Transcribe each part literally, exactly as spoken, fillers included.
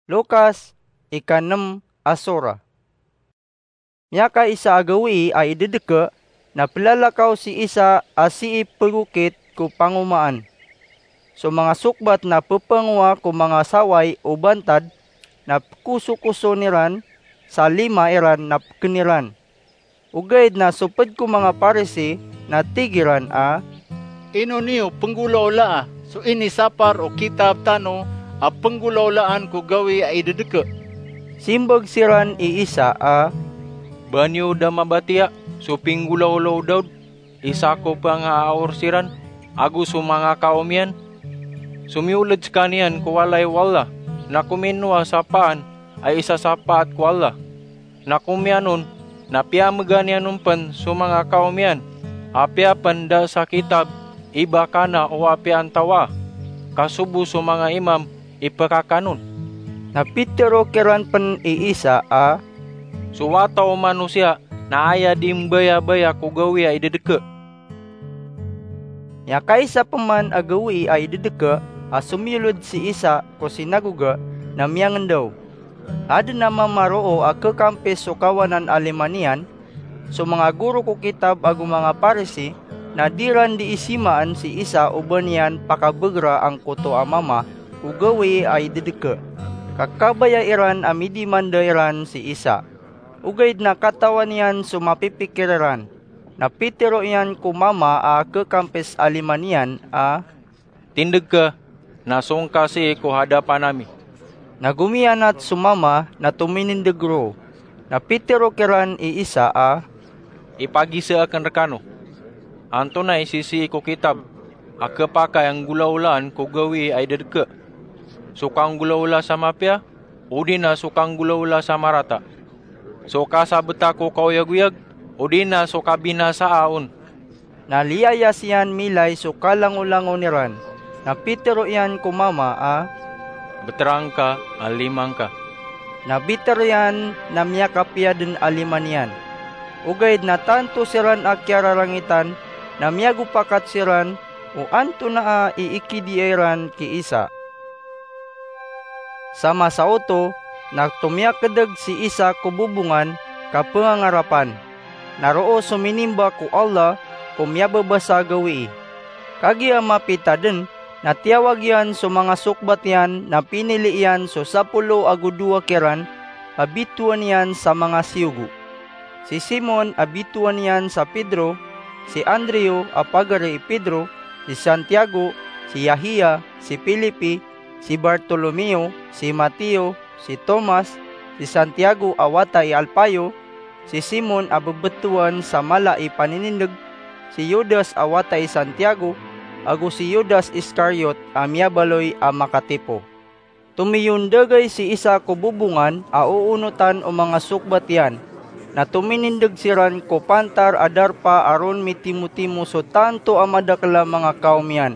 Lukas, ikanem a sura. Miyakaisa a gawii a idedeke, na pelalakaw si Isa a sii pegokit ko pangomaan. So manga sokbat na pepangowa ko manga saway o bantad, na pekosokoson iran sa lima iran na peken iran. Ogaid na so ped ko manga Parisi na tig iran a, "Ino niyo penggolaolaa so inisapar o kitab tano a penggolaolaan ko gawii a idedeke?" Simbag siran i Isa a, "Ba niyo da mabatiya so pinggolaola o Daud, isa ko pangaaor siran, ago so manga kaom iyan? So miyoled sekaniyan ko walay o Allah, na kominowa sa paan a isasapaat ko Allah. Na komiyan on, na piyamegan iyan on pen so manga kaom iyan, apiya pen da sa kitab i ba kana o apiya antawaa, ka sobo so manga imam i pekakanon." Na pitero kiran pen i Isa a, "So Wata o Manosiya na aya di mbayabaya ko gawii a idedeke." Miyakaisa peman a gawii a idedeke a somiyoled si Isa ko sinagoga na miyangendaw. Aden a mama roo a kekampis so kawanan a lima niyan, so manga goro ko kitab ago manga Parisi, na di ran di isimaan si Isa o ba niyan pakabegra angkoto a mama o gawii a idedeke. Ka kabaya iran a midimanda iran si Isa. Ogaid na katawan iyan so mapipikir iran. Na pitero iyan ko mama a kekampis a lima niyan a, "Tindeg ka, na song ka sii ko hadapan ami." Na gomiyanat so mama na tominindeg roo. Na pitero kiran i Isa a, "Ipagisa aken rekano, antonaa i sisii ko kitab a kepakay a nggolaolaan ko gawii a idedeke? So kanggolaola sa mapiya, odi na so kanggolaola sa marata? So kasabeta ko kaoyagoyag, odi na so kabinasaa on?" Na liyayas iyan milay so kalangolangon iran. Na pitero iyan ko mama a, "Betera ngka a lima ngka." Na biter iyan na miyakapiya den a lima niyan. Ogaid na tanto siran a kiyararangitan, na miyagopakat siran o antonaa i ikidiya iran ki Isa. Sa masa oto na tomiyakedeg si Isa ko bobongan ka pengangarapan. Na roo so minimba ko Allah ko miyababasa a gawii. Kagiya mapita den na tiyawag iyan so manga sokbat iyan na pinili iyan so sapolo ago dowa kiran a bitowan iyan sa manga siyogo. Si Simon a bitowan iyan sa Pedro, si Andrew a pagari i Pedro, si Santiago, si Yahia, si Felipe, si Bartolomeo, si Mateo, si Tomas, si Santiago a wata i Alpayo, si Simon a bebetowan sa mala i paninindeg, si Judas a wata i Santiago, ago si Judas Iscariot a miyabaloy a makatipo. Tomiyondagay si Isa ko bobongan a oonotan o manga sokbat iyan, na tominindeg siran ko pantar a darpa a ron mitimotimo so tanto a madakel a manga kaom iyan,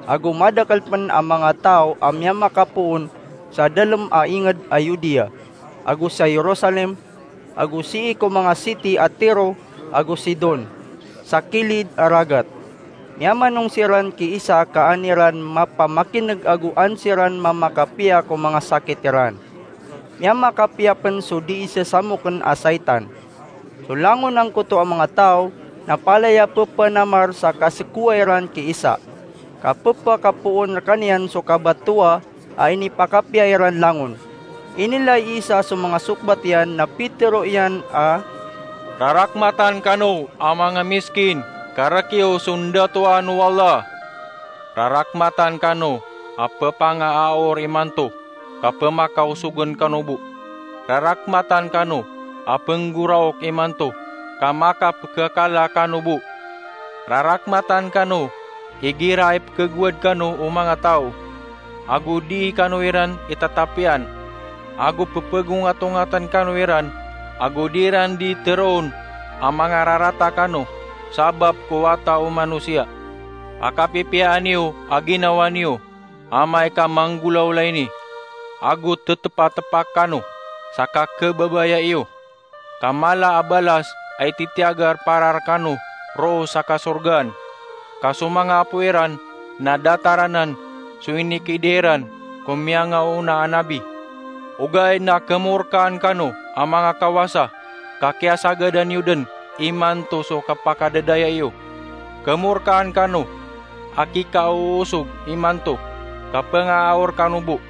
ago madakel pen a manga taw a miyamakapoon sa dalem a inged a Judea, ago sa Jerusalem, ago sii ko manga siti a Tiro ago Sidon, sa kilid a ragat. Miyamanong siran ki Isa ka an iran mapamakineg ago an siran mamakapiya ko manga sakit iran. Miyamakapiya pen so dii sesamoken a saitan. So langon angkoto a manga taw na palaya pepanamar sa kasekowa iran ki Isa, ka pepakapoon rekaniyan so kabatowa a inipakapiya iran langon. Inilay i Isa so manga sokbat iyan na pitero iyan a, "Rarakmatan kano a manga miskin, ka rekiyo so ndatowaan o Allah. Rarakmatan kano a pepangaaor imanto, ka pemakaosogen kano bo. Rarakmatan kano a penggoraok imanto, ka makapekekala kano bo. Rarakmatan kano igira ipekegowad kano o manga taw, ago dii kano iran itatapiyan, ago pepegongatongaten kano iran, ago dii ran dii teroon a mangararata kano sabap ko Wata o Manosiya. Pakapipiyaan iyo a ginawa niyo, amay ka manggolawla ini, ago tetepatepak kano sa kakebabaya iyo, ka mala a balas a ititiyagar para rekano roo sa kasorgaan. Ka so manga apo iran na datar anan so inikidiya iran ko miyangaoona a nabi." Ogaid na kemorkaan kano a manga kawasa, ka kiyasagadan iyo den imanto so kapakadadaya iyo. Kemorkaan kano a kikaoosog imanto, ka pengaaor kano bo.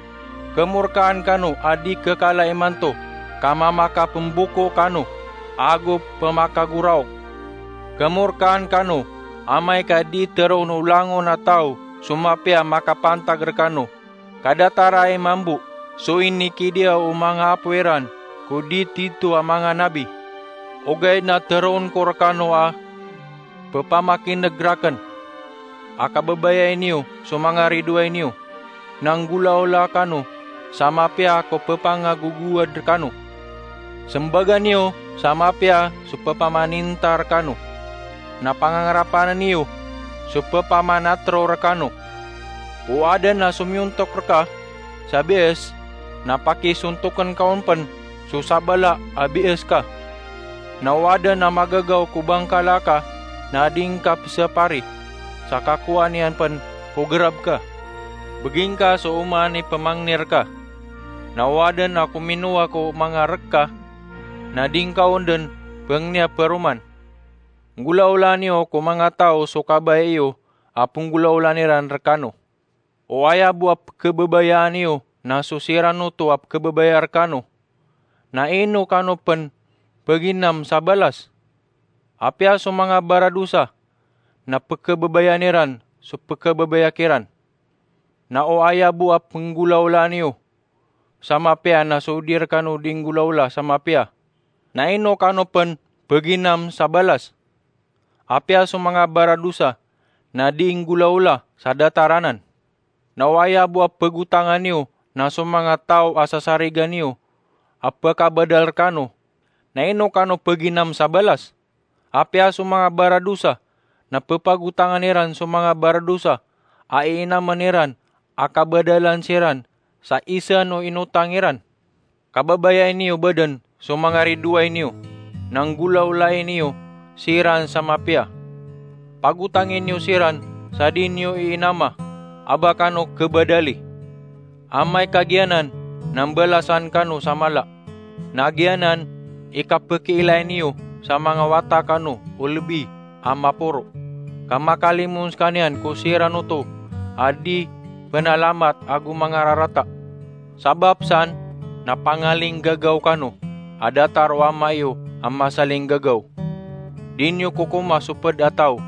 Kemorkaan kano a di kekala imanto, ka mamakapemboko kano ago pemakagoraok. Kemorkaan kano amay ka di teroon o langon a taw so mapiya makapantag rekano, ka datar ai mambo so inikidiya o manga apo iran ko di tito a manga nabi. Ogaid na teroon ko rekano a pepamakineg raken a kababayai niyo so manga ridoay niyo, na nggolaola kano sa mapiya ko pepangagogowad rekano. Sembaga niyo sa mapiya so pepamaninta rekano, na pangangarapana niyo so pepamanatero rekano. O aden a somiyontok reka sa bies, na pakisontoken ka on pen so sabala a bies ka. Na o aden a magagaw ko bangkala ka, na di ngka pesapari, sa kakowaan iyan pen ko gerab ka. Begingka so oman i pemangni reka. Na o aden a kominowa ko manga rek ka, na di ngka on den pengniya peroman. Nggolaola niyo ko manga taw so kabaya iyo a penggolaolan iran rekano. O aya bo a pekebabayaan iyo na so siran oto a pekebabaya rekano, na ino kano pen peginam sa balas? Apiya so manga baradosa na pekebabayaan iran so pekebabaya kiran. Na o aya bo a penggolaola niyo sa mapiya na so di rekano di nggolaola sa mapiya, na ino kano pen peginam sa balas? Apiya so manga baradosa na di nggolaola sa datar anan. Na o aya bo a pegotangan iyo na so manga taw a sasarigan iyo a pekabadal rekano, na ino kano peginam sa balas? Apiya so manga baradosa na pepagotangan iran so manga baradosa a iinamen iran a kabadalan siran sa isan o inotang iran. Kababayai niyo bo den so manga ridoay niyo, na nggolaolai niyo siran sa mapiya. Pagotangi niyo siran sa di niyo iinama a ba kano kebadali. Amay ka giyanan na mbalasan kano sa mala. Na giyanan i kapekiilay niyo sa manga wata kano o lebi a maporo, ka makalimon sekaniyan ko siran oto a di penalamat ago mangararata. Sabap san na pangalinggagaw kano a datar o Ama iyo a masalinggagaw. Di niyo kokoma so ped a taw,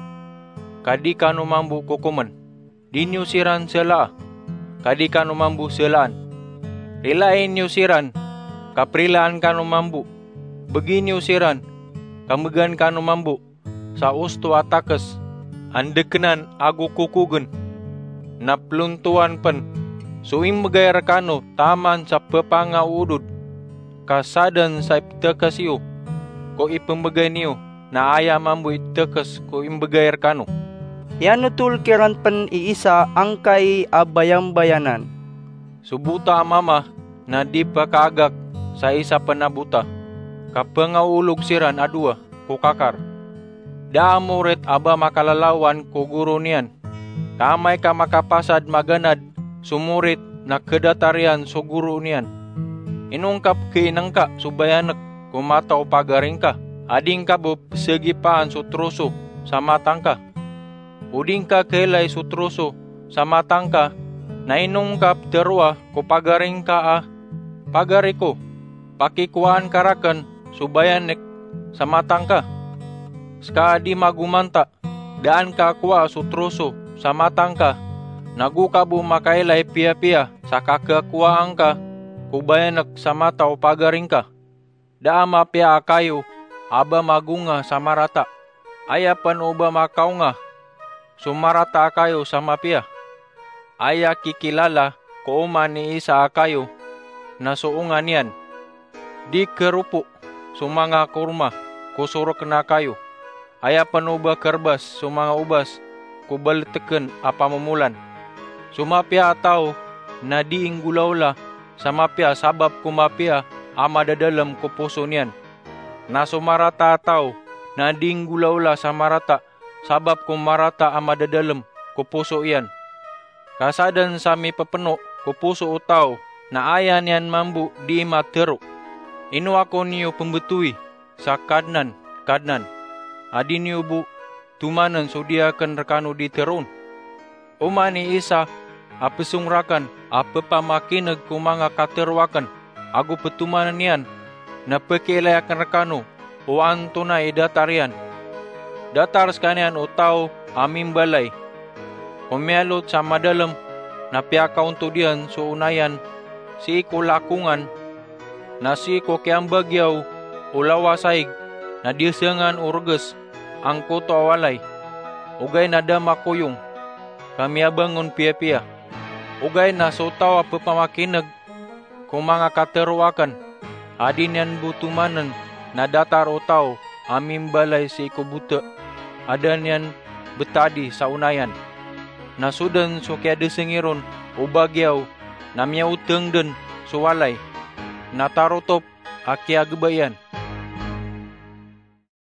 ka di kano mambo kokomen. Di niyo siran selaa, ka di kano mambo selaan. Rilai niyo siran, ka perilaan kano mambo. Begi niyo siran, ka megan kano mambo sa osto a takes a ndekenan ago kokogen. Na pelontowan pen so imbegay rekano taman sa pepangaoodod, ka saden sa iptekes iyo ko ipembegay niyo, na aya mambo i tekes ko imbegay rekano. Iyanotol kiran pen i isa angkai a bayambayanan. So bota a mama na di pekaagak sa isa pen a bota, ka pengaolog siran a dowa ko kakar. Da a morit a ba makalalawan ko goro niyan. Ka amay ka makapasad maganad so morit na kedatar iyan so goro niyan. Ino ngka pekiinengka so bayanek ko mata o pagari ngka, a di ngka bo pesegipaan so troso sa mata ngka? O di ngka kailay so troso sa mata ngka, na ino ngka peteroa ko pagari ngka a, "Pagari ko, pakikowaan ka raken so bayanek sa mata ngka"? Seka a di magomanta, daan ka kowaa so troso sa mata ngka, nago ka bo makailay piyapiya sa kakakowaa ngka ko bayanek sa mata o pagari ngka. Da a mapiya a kayo a ba magonga sa marata. Aya pen o ba makaonga so marata a kayo sa mapiya. Aya kikilala ko oman i isa a kayo na so onga niyan. Di keropo so manga korma ko soreken a kayo. Aya pen o ba kerebas so manga obas ko baleteken a pamomolan. So mapiya a taw na di inggolaola sa mapiya sabap ko mapiya a madadalem ko poso niyan. Na so marata a taw na di inggolaola sa marata sabap ko marata a madadalem ko poso iyan. Ka saden sa mipepeno ko poso o taw na aya niyan mambo dii matero, 'Ino ako niyo pembetowi sa Kadnan, Kadnan?' a di niyo bo tomanen so dii aken rekano dii teroon. Oman i isa a pesong raken a pepamakineg ko manga katero aken ago petomanen iyan, na pekiilay aken rekano o antonaa i datar iyan. Datar sekaniyan o taw a mimbalay. Komiyalot sa madalem na piyakaontod iyan so onayan sii ko lakongan, na sii ko kiyambagiyaw o lawasaig na diyasengan o reges angkoto a walay, ogaid na da makoyong ka miyabangon piyapiya. Ogaid na so taw a pepamakineg ko manga katero aken a di niyan bo tomanen na datar o taw a mimbalay sii ko bota a da niyan betadi sa onayan. Na so den so kiyadesengir on o bagiyaw na miyaoteng den so walay, na tarotop a kiyagebaiyan.